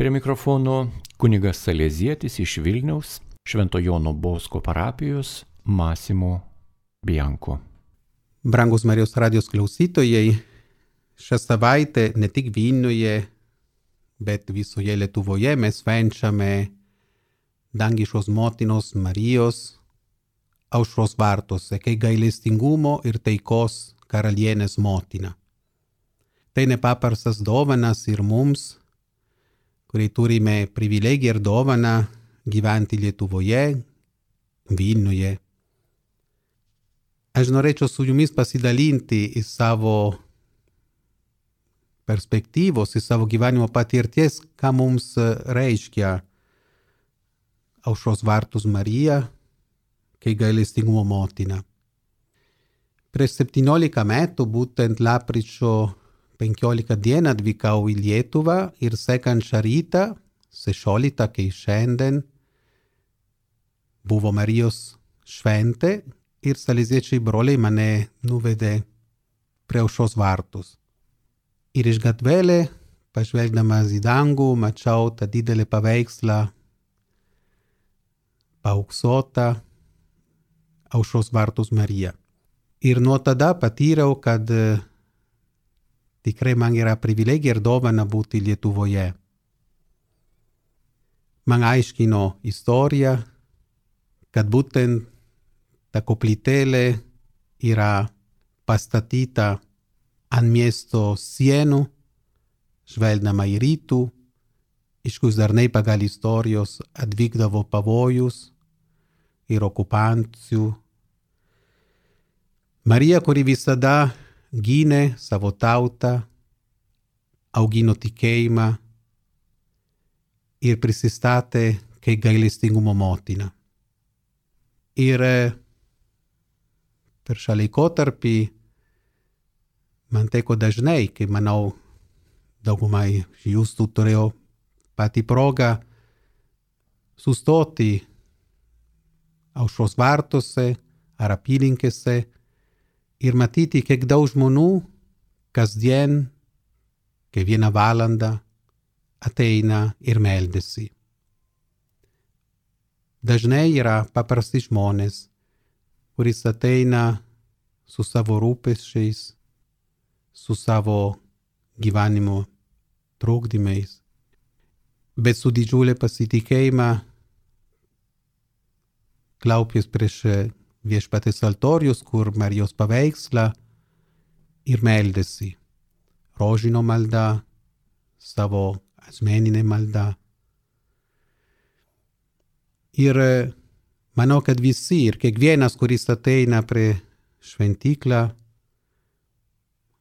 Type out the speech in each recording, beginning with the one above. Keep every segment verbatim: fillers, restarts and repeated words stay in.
Prie mikrofono kunigas Salezietis iš Vilniaus, Švento Jono Bosko parapijos, Masimo Bianco. Brangus Marijos radijos klausytojai, šią savaitę ne tik Vilniuje, bet visoje Lietuvoje mes švenčiame dangiškos motinos Marijos aušros vartuose, kaip gailestingumo ir taikos karalienės motina. Tai nepaprastas dovanas ir mums, kurie turime privilegiją ir dovaną gyventi Lietuvoje, Vilniuje. Aš norėčiau su jumis pasidalinti į savo perspektyvos, į savo gyvenimo patirties, ką mums reiškia aušros vartus Marija, kaip gailestingumo motina. Prieš septyniolika metų, būtent lapkričio penkioliktą dieną atvykau į Lietuvą ir sekančią rytą, šešioliktą, kai šiandien buvo Marijos šventė ir saleziečiai broliai mane nuvedė prie aušros vartus. Ir iš gatvelė, pažvelgdamas į dangų, mačiau tą didelį paveikslą, paauksuotą aušros vartus Marija. Ir nuo tada patyriau, kad tikrai man yra privilegija ir dovana būti Lietuvoje. Man aiškino istoriją, kad būtent ta koplytėlė yra pastatyta ant miesto sienų, žvelgdama į rytų, iš kur dažnai pagal istorijos atvykdavo pavojus ir okupacijų. Marija, kuri visada gynė savo tautą, augino tikėjimą ir prisistatė kaip gailestingumo motina. Ir per šią laikotarpį man teko dažnai, kai manau daugumai jūsų turėjo patį progą sustoti aušros vartuose ar apylinkėse ir matyti, kiek daug žmonių kasdien, kiekvieną valandą ateina ir meldėsi. Dažnai yra paprasti žmonės, kuris ateina su savo rūpesčiais, su savo gyvenimo trukdymais, bet su didžiulė pasitikėjimą klaupės prieš viešpatės altorius, kur Marijos paveikslą ir meldėsi. Rožinio malda, savo asmeninė malda. Ir manau, kad visi ir kiekvienas, kuris ateina prie šventyklą,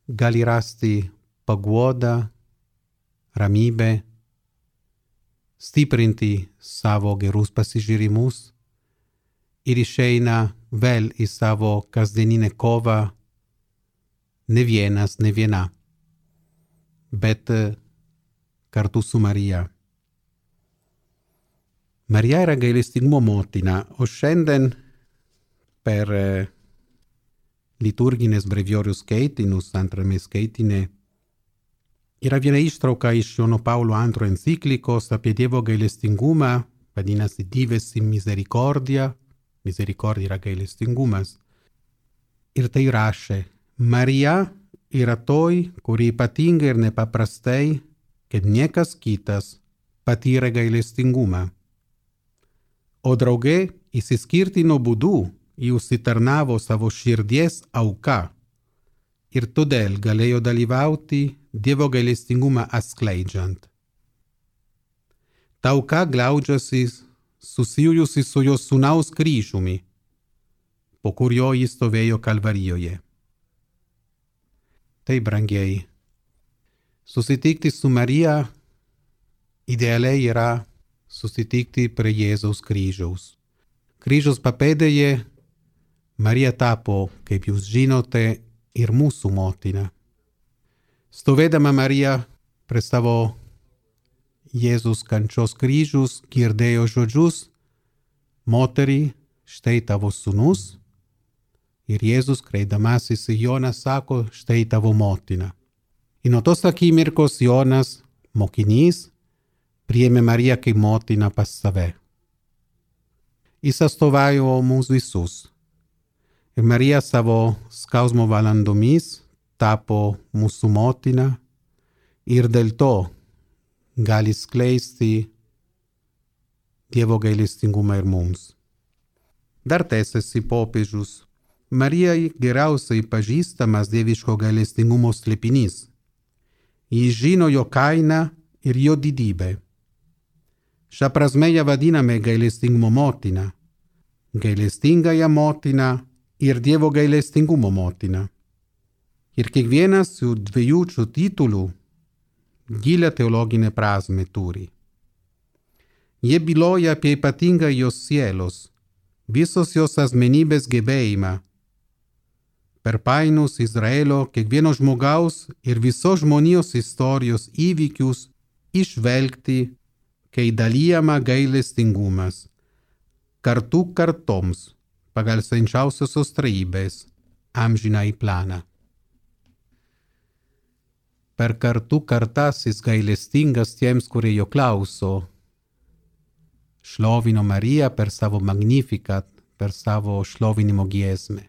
gali rasti paguodą, ramybę, stiprinti savo gerus pasižiūrimus ir išeina vėl į savo kasdieninę kovą, ne vienas, ne viena, bet kartu su Marija. Marija yra gailestingumo motina, o šiandien per liturginės breviorius skaitinus, antrame skaitine, yra viena ištrauka iš Jono Paulo antrojo enciklikos apie Dievo gailestingumą, vadinasi Divesi misericordia, misericordia yra gailestingumas. Ir tai rašė, Marija yra toj, kuri ypatingai ir nepaprastai, kad niekas kitas patyrė gailestingumą. O drauge įsiskirtino būdu į užsitarnavo savo širdies auka ir todėl galėjo dalyvauti Dievo gailestingumą atskleidžiant. Ta auka glaudžiasi susijusi su jo sūnaus kryžiumi, po kurio jis stovėjo Kalvarijoje. Tai, brangiai, susitikti su Marija idealiai yra susitikti prie Jėzaus kryžiaus. Kryžiaus papėdėje Marija tapo, kaip jūs žinote, ir mūsų motina. Stovėdama Marija prie savo Jėzus kančios kryžius girdėjo žodžius, moterį, štai tavo sūnus, ir Jėzus, kreidamasis į Joną, sako, štai tavo motina. Ir nuo tos akimirkos Jonas, mokinys, priėmė Mariją kaip motiną pas save. Jis atstovauja mūsų visus. Ir Marija savo skausmo valandomis tapo mūsų motina ir dėl to gali skleisti Dievo gailestingumą ir mums. Dar tęsiasi popiežius. Marijai geriausiai pažįstamas dieviško gailestingumo slėpinys. Jis žino jo kainą ir jo didybę. Šia prasme ją vadiname gailestingumo motina, gailestingąją motiną ir Dievo gailestingumo motina. Ir kiekvienas šių dviejų šių titulų gilią teologinę prasmę turi. Jie byloja apie ypatingą jos sielos, visos jos asmenybės gebėjimą per painus Izraelio kiekvieno žmogaus ir visos žmonijos istorijos įvykius išvelgti, kai dalijama gailestingumas kartų kartoms pagal švenčiausiosios trejybės amžinąjį planą. Per kartų kartas jis gailestingas tiems, kurie jo klauso. Šlovino Mariją per savo magnificat, per savo šlovinimo giesmę.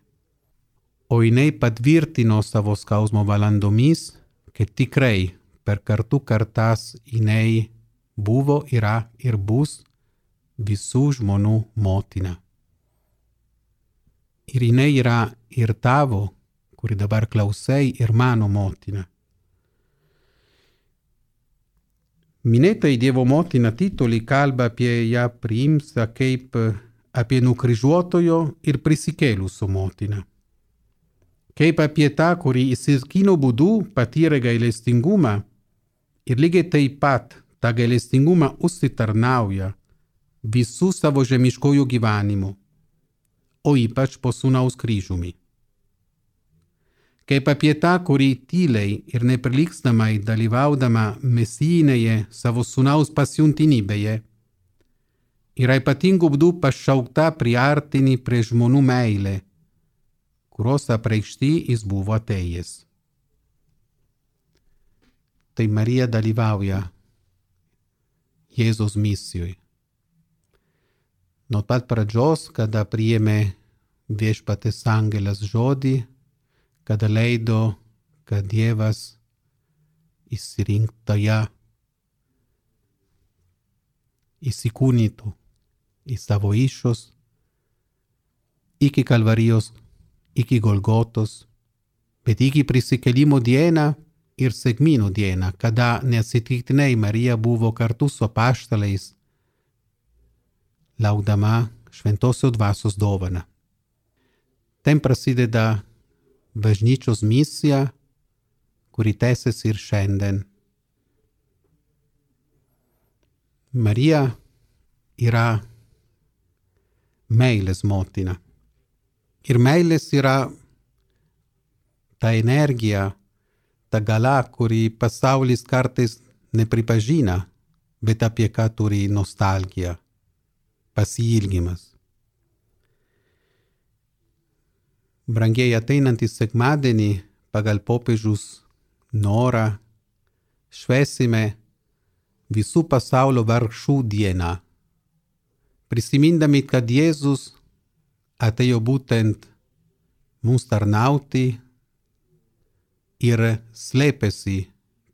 O jinai patvirtino savo skausmo valandomis, kad tikrai per kartų kartas jinai buvo, yra ir bus visų žmonių motina. Ir jinai yra ir tavo, kuri dabar klausai, ir mano motina. Minėtai Dievo motina titulai kalba apie ją priimtą kaip apie nukryžiuotojo ir prisikėlusio motiną. Kaip apie tą, kuri įsikino būdu patyrė gailestingumą ir lygiai taip pat tą gailestingumą užsitarnauja visų savo žemiškojų gyvenimų, o ypač po sūnaus kryžiumi. Kaip apie tą, kuri tyliai ir neprilygstamai dalyvaudama mesijinėje savo sūnaus pasiuntinybėje yra ypatingų būdų pašaukta priartinti prie žmonių meilę, kurios apreikšti jis buvo atėjęs. Tai Marija dalyvauja Jėzaus misijoje. Nuo pat pradžios, kada priėmė viešpaties angelas žodį, kada leido, kad Dievas išsirinkta ją įsikūnytų į savo iššus, iki Kalvarijos, iki Golgotos, bet iki prisikėlimo dieną ir sekminių dieną, kada neatsitiktinai Marija buvo kartu su apaštalais, laukdama šventosios dvasios dovaną. Ten prasideda bažnyčios misija, kuri tęsiasi ir šiandien. Marija yra meilės motina. Ir meilės yra ta energija, ta gala, kuri pasaulis kartais nepripažina, bet apie ką turi nostalgija, pasiilgimas. Brangiai ateinantį sekmadienį pagal popiežiaus norą švęsime visų pasaulio vargšų dieną, prisimindami, kad Jėzus atėjo būtent mums tarnauti ir slėpėsi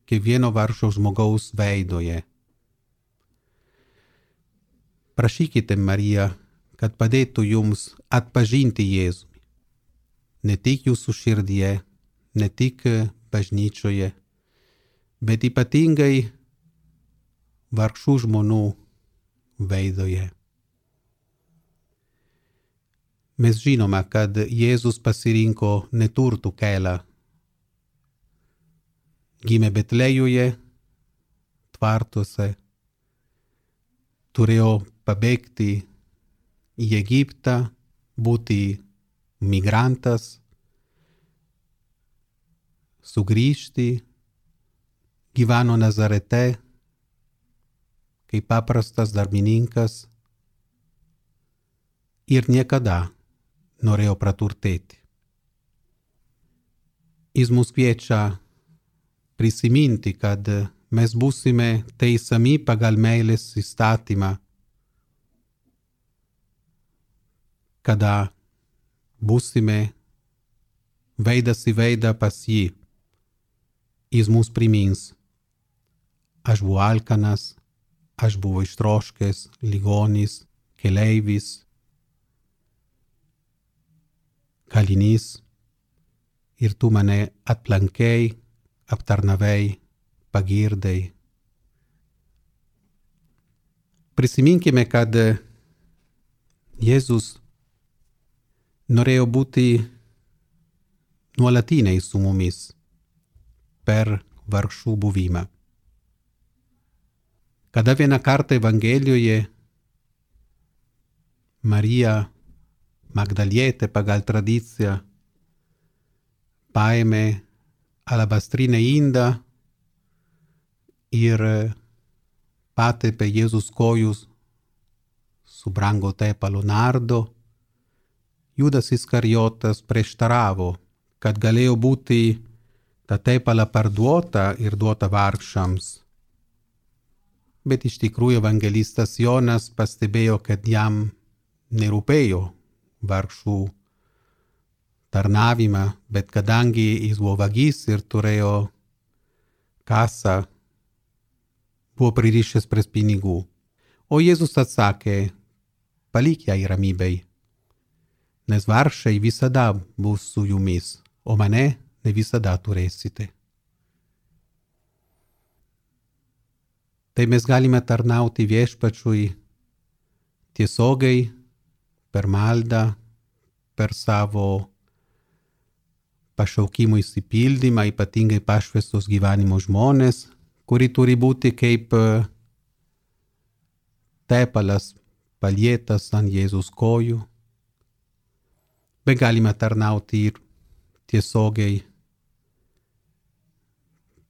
kiekvieno vargšo žmogaus veidoje. Prašykite Mariją, kad padėtų jums atpažinti Jėzų. Ne tik jūsų širdyje, ne tik bažnyčioje, bet ypatingai vargšų žmonių veidoje. Mes žinome, kad Jėzus pasirinko neturtų kelią. Gimė Betlejuje, tvartuose, turėjo pabėgti į Egiptą, būti migrantas, sugrįžti, gyveno Nazarete kaip paprastas darbininkas ir niekada norėjo praturtėti. Jis mus kviečia prisiminti, kad mes būsime teisiami pagal meilės įstatymą, kada būsime veidas į veidą pas jį. Jis mus primins: aš buvau alkanas, aš buvau ištroškęs, ligonis, keleivis, kalinys, ir tu mane aplankei, aptarnavai, pagirdai. Prisiminkime, kad Jėzus norėjo būti nuolatiniai su mumis per vargšų buvimą. Kada vieną kartą Evangelijoje Marija Magdalietė pagal tradiciją paėmė alabastrinę indą ir patepė Jėzus kojus su brango tepalo nardo, Judas Iskarijotas prieštaravo, kad galėjo būti ta tepala parduota ir duota vargšams. Bet iš tikrųjų evangelistas Jonas pastebėjo, kad jam nerūpėjo vargšų tarnavimą, bet kadangi jis buvo vagis ir turėjo kasą, buvo pririšęs prie pinigų. O Jėzus atsakė: palik ją ramybei, nes vargšai visada bus su jumis, o mane ne visada turėsite. Tai mes galime tarnauti Viešpačiui tiesiogiai, per maldą, per savo pašaukimo įsipildymą, ypatingai pašvestos gyvenimo žmonės, kuri turi būti kaip tepalas palietas ant Jėzus kojų. Bet galime tarnauti ir tiesiogiai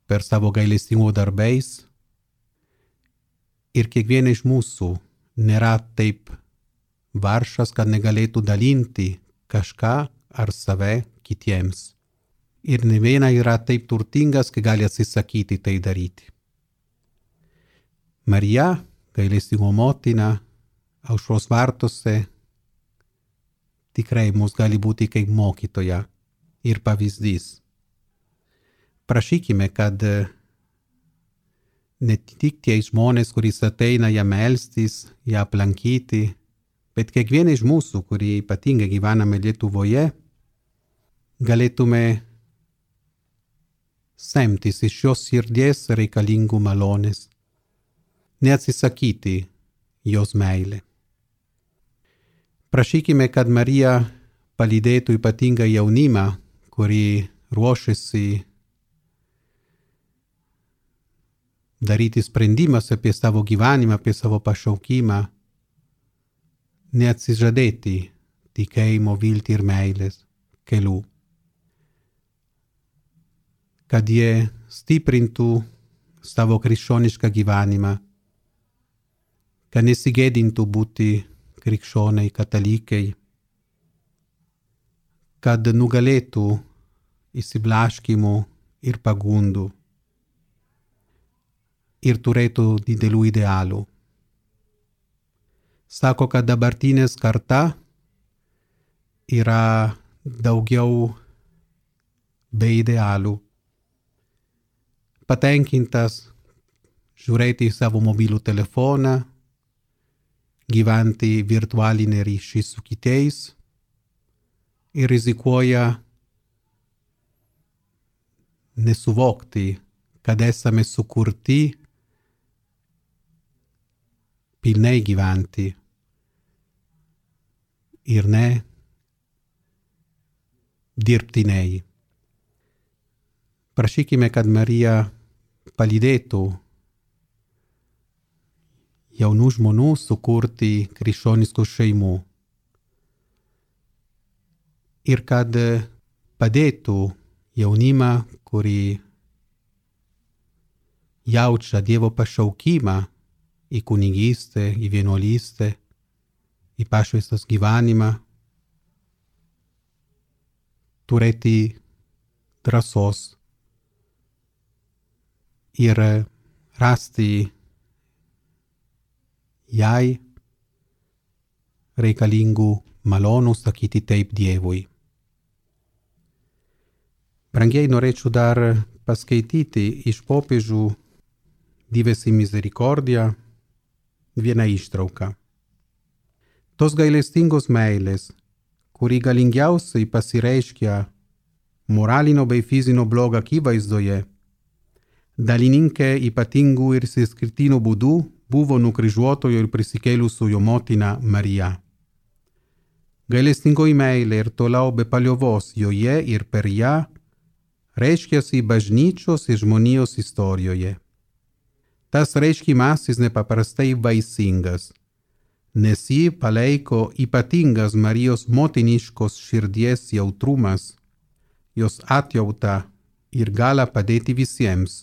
per savo gailestingumo darbais. Ir kiekvieną iš mūsų nėra taip vargšas, kad negalėtų dalinti kažką ar save kitiems. Ir ne viena yra taip turtingas, kad gali atsisakyti tai daryti. Marija, gailestingumo motina, aušros vartuose, tikrai mus gali būti kaip mokytoja ir pavyzdys. Prašykime, kad ne tik tie žmonės, kuris ateina ją melstis, ją aplankyti, bet kiekvieną iš mūsų, kurie ypatingai gyvename Lietuvoje, galėtume semtis iš šios širdies reikalingų malonės, neatsisakyti jos meilę. Prašykime, kad Marija palydėtų ypatingą jaunimą, kurį ruošiasi daryti sprendimas apie savo gyvenimą, apie savo pašaukimą, neatsižadėti tikėjimo, viltį ir meilės kelių. Kad jie stiprintų savo krikščionišką gyvenimą, kad nesigėdintų būti krikščioniai, katalikai, kad nugalėtų įsiblaškimų ir pagundų ir turėtų didelių idealų. Sako, kad dabartinės karta yra daugiau be idealų. Patenkintas žiūrėti į savo mobilų telefoną, gyventi virtualinį ryšį su kitais ir rizikuoja nesuvokti, kad esame sukurti pilnai gyventi ir ne dirbtiniai. Prašykime, kad Marija palydėtų jaunų žmonių sukurti krikščioniškų šeimų ir kad padėtų jaunimą, kurį jaučia Dievo pašaukimą į kunigystę, į vienuolystę, į pašvęstas gyvenimą, turėti drąsos ir rasti jai reikalingų malonų sakyti taip Dievui. Brangieji, norėčiau dar paskaityti iš popiežių Divesi Misericordia vieną ištrauką. Tos gailestingos meilės, kuri galingiausiai pasireiškia moralinio bei fizinio blogio akivaizdoje, dalininkė ypatingų ir išskirtinių būdų buvo nukryžiuotojo ir prisikėlusiojo motina Marija. Gailestingoji meilė ir toliau be paliovos joje ir per ją reiškiasi bažnyčios ir žmonijos istorijoje. Tas reiškimasis nepaprastai vaisingas, nes jį palaiko ypatingas Marijos motiniškos širdies jautrumas, jos atjauta ir gala padėti visiems,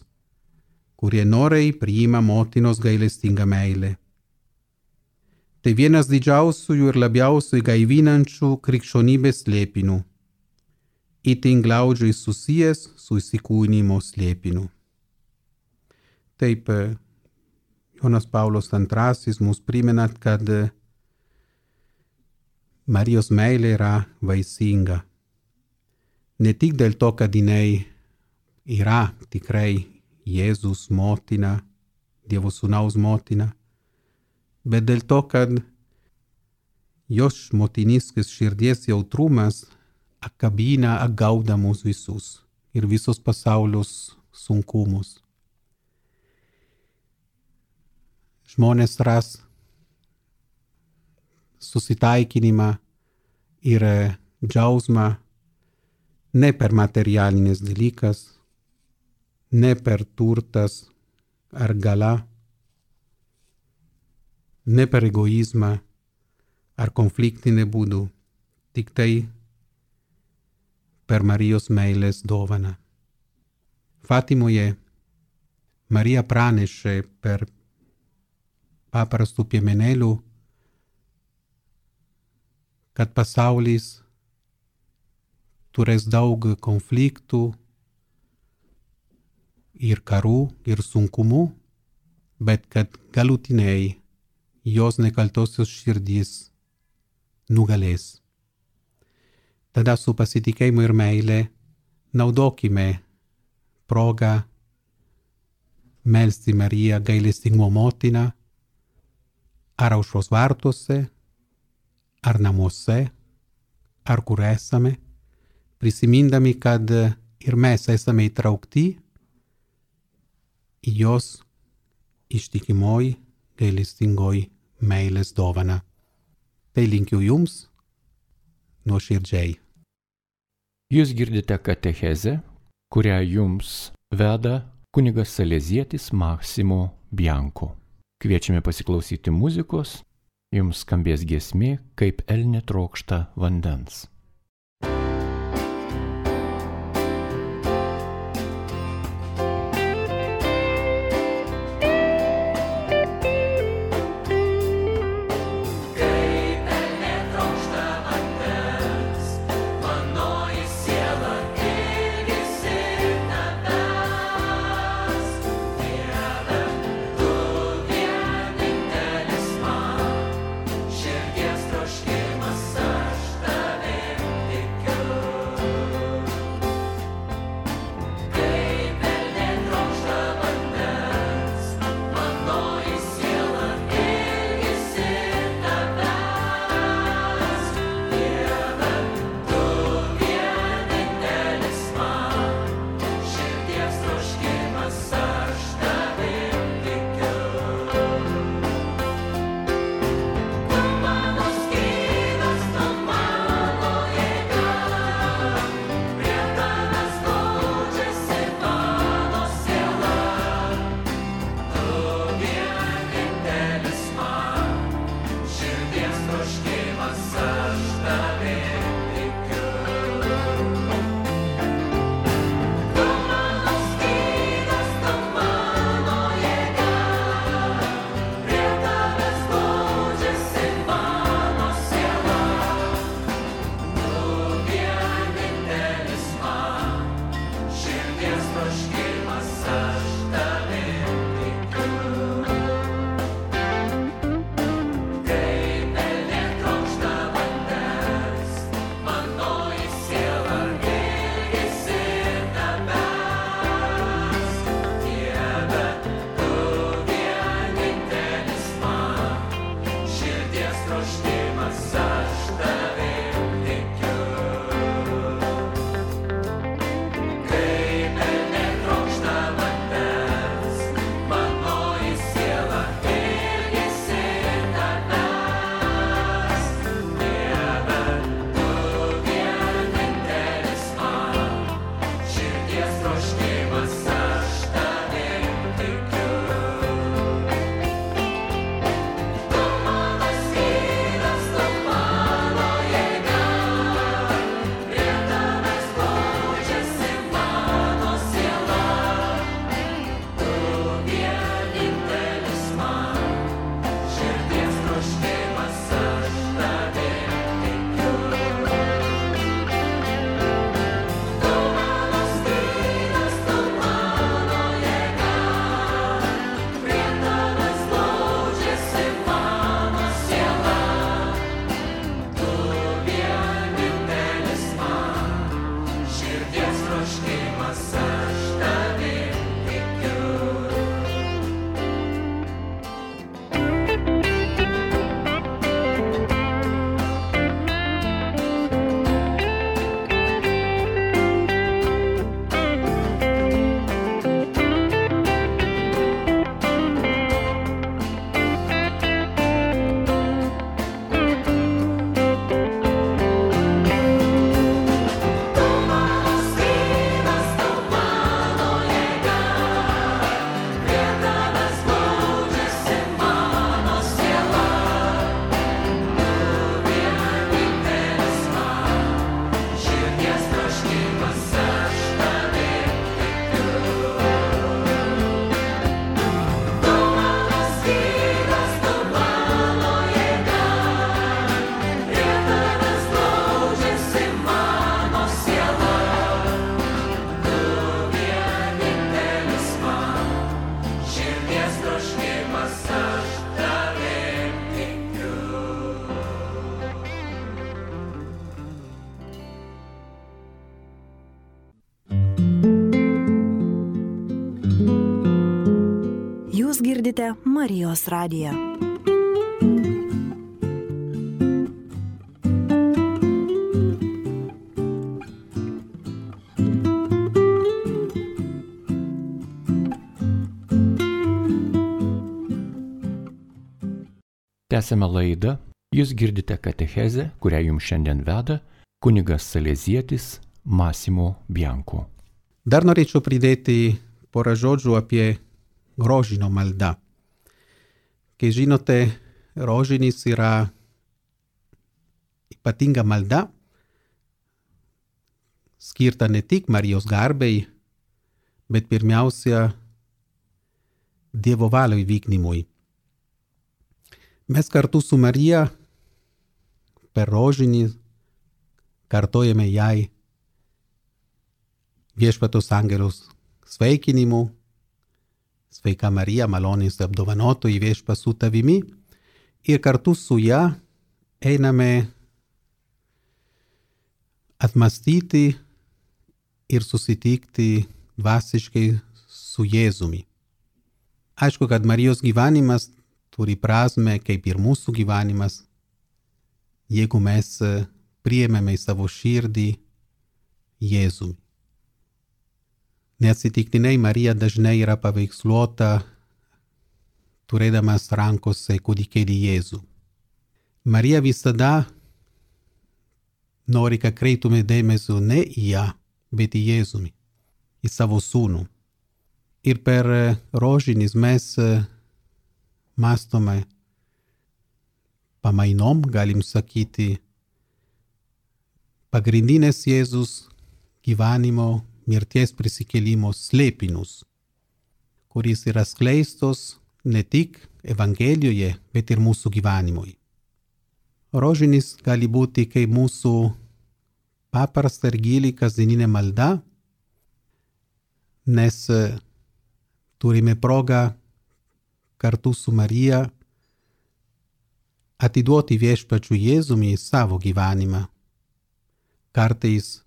kurie noriai priima motinos gailestingą meilę. Tai vienas didžiausių ir labiausiai gaivinančių krikščionybės slėpinių, itin glaudžiai susijęs su įsikūnijimo slėpiniu. Taip, Jonas Paulius antrasis mus primena, kad Marijos meilė yra vaisinga. Ne tik dėl to, kad jinai yra tikrai Jėzus motina, Dievo Sūnaus motina, bet dėl to, kad jos motiniškas širdies jautrumas apkabina, apgauda mus visus ir visos pasaulios sunkumus. Žmonės ras susitaikinimą ir džiaugsmą ne per materialinis dalykas, ne per turtas ar gala, ne per egoizmą ar konfliktinį būdų, tik tai per Marijos meilės dovaną. Fatimoje Marija pranešė per paprastų piemenėlių, kad pasaulis turės daug konfliktų ir karų ir sunkumų, bet kad galutiniai jos nekaltosios širdys nugalės. Tada su pasitikėjimu ir meile naudokime progą melsti Mariją gailestingumo motiną, ar aušros vartuose, ar namuose, ar kur esame, prisimindami, kad ir mes esame įtraukti į jos ištikimoj, gailestingoj meilės dovaną. Tai linkiu jums nuoširdžiai. Jūs girdite katechezę, kurią jums veda kunigas salezietis Massimo Bianco. Kviečiame pasiklausyti muzikos, jums skambės giesmė, kaip elnė trokšta vandens. Širdies troškimas aš tave girdite Marijos radiją. Tęsėme laidą. Jūs girdite katechezę, kurią jums šiandien veda kunigas salezietis Massimo Bianco. Dar norėčiau pridėti porą žodžių apie rožinio maldą. Kai žinote, rožinis yra ypatinga malda, skirta ne tik Marijos garbei, bet pirmiausia Dievo valios įvykdymui. Mes kartu su Marija per rožinį kartojame jai viešpaties angelos sveikinimu. Sveika Marija, malonės apdovanotoji, viešpats su tavimi. Ir kartu su ja einame atmastyti ir susitikti dvasiškai su Jėzumi. Aišku, kad Marijos gyvenimas turi prasme kaip ir mūsų gyvenimas, jeigu mes priėmėme į savo širdį Jėzumi. Neatsitiktinai Marija dažnai yra paveiksluota turėdamas rankose kūdikėlį Jėzų. Marija visada nori, kad kreiptume dėmesio ne į ją, bet į Jėzumi, į savo sūnų. Ir per rožinis mes mąstome pamainom, galim sakyti, pagrindinės Jėzus gyvenimo, mirties prisikėlimo slėpinius, kuris yra skleistos ne tik Evangelijoje, bet ir mūsų gyvenimui. Rožinis gali būti kaip mūsų paprasta ir gili kasdieninė malda, nes turime progą kartu su Marija atiduoti viešpačiui Jėzumi savo gyvenimą. Kartais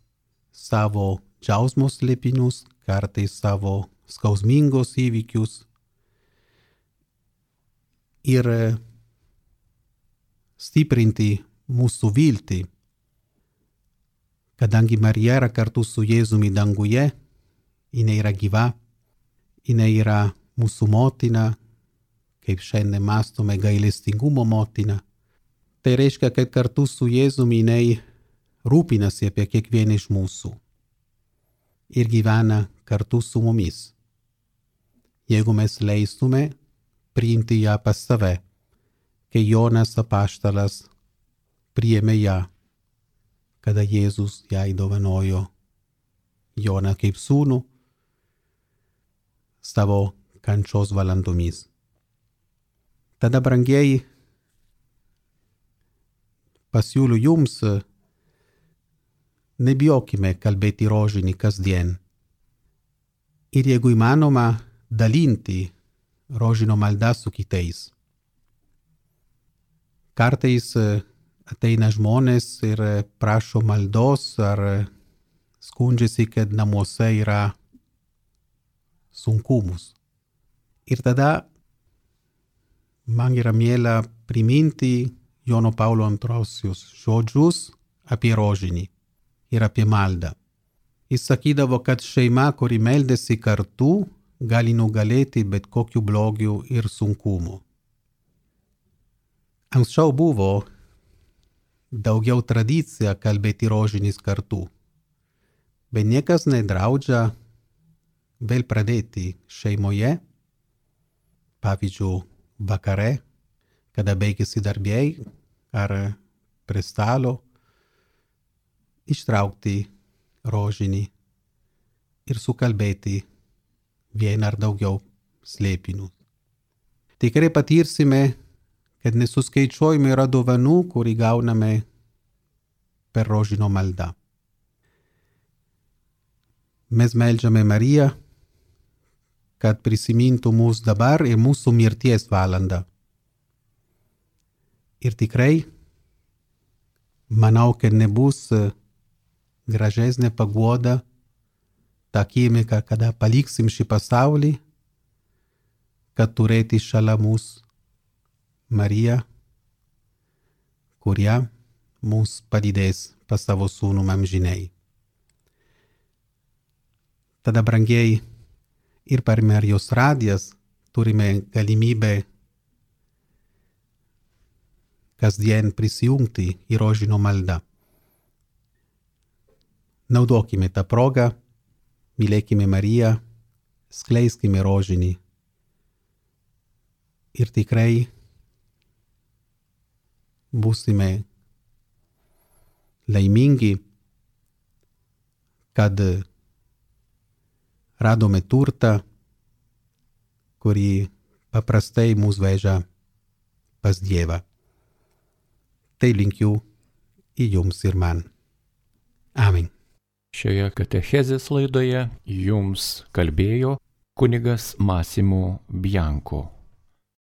savo džiaugsmo slėpinius, kartais savo skausmingos įvykius. Ir stiprinti mūsų viltį, kadangi Marija yra kartu su Jėzumi danguje, jinai yra gyva, jinai yra mūsų motina, kaip šiandien mąstome gailestingumo motina. Tai reiškia, kad kartu su Jėzumi jinai rūpinasi apie kiekvieną iš mūsų ir gyvena kartu su mumis. Jeigu mes leistume priimti ją pas save, kai Jonas apaštalas priėmė ją, kada Jėzus jai dovanojo Joną kaip sūnų savo kančios valandomis. Tada, brangieji, pasiūliu jums, nebijokime kalbėti rožinį kasdien. Ir jeigu įmanoma, dalinti rožinio maldą su kitais. Kartais ateina žmonės ir prašo maldos ar skundžiasi, kad namuose yra sunkumus. Ir tada man yra miela priminti Jono Paulo antrosios žodžius apie rožinį ir apie maldą. Jis sakydavo, kad šeima, kuri meldėsi kartu, gali nugalėti bet kokiu blogiu ir sunkumu. Anksčiau buvo daugiau tradicija kalbėti rožinis kartu, bet niekas nedraudžia vėl pradėti šeimoje, pavyzdžiui, vakare, kada baigėsi darbiai ar prie stalo, ištraukti rožinį ir sukalbėti vieną ar daugiau slėpinių. Tikrai patirsime, kad nesuskaičiuojami yra dovanų, kurį gauname per rožinio maldą. Mes meldžiame Mariją, kad prisimintų mus dabar ir mūsų mirties valandą. Ir tikrai, manau, kad nebus gražesnė paguoda tą akimirką, kada paliksim šį pasaulį, kad turėti šalia mūsų Mariją, kurie mums padidės pas savo sūnų amžinai. Tada, brangieji, ir per Marijos radijas turime galimybę kasdien prisijungti į rožinio maldą. Naudokime tą progą, mylėkime Mariją, skleiskime rožinį ir tikrai būsime laimingi, kad radome turtą, kurį paprastai mus veža pas Dievą. Tai linkiu į jums ir man. Amen. Šioje katechezės laidoje jums kalbėjo kunigas Massimo Bianco.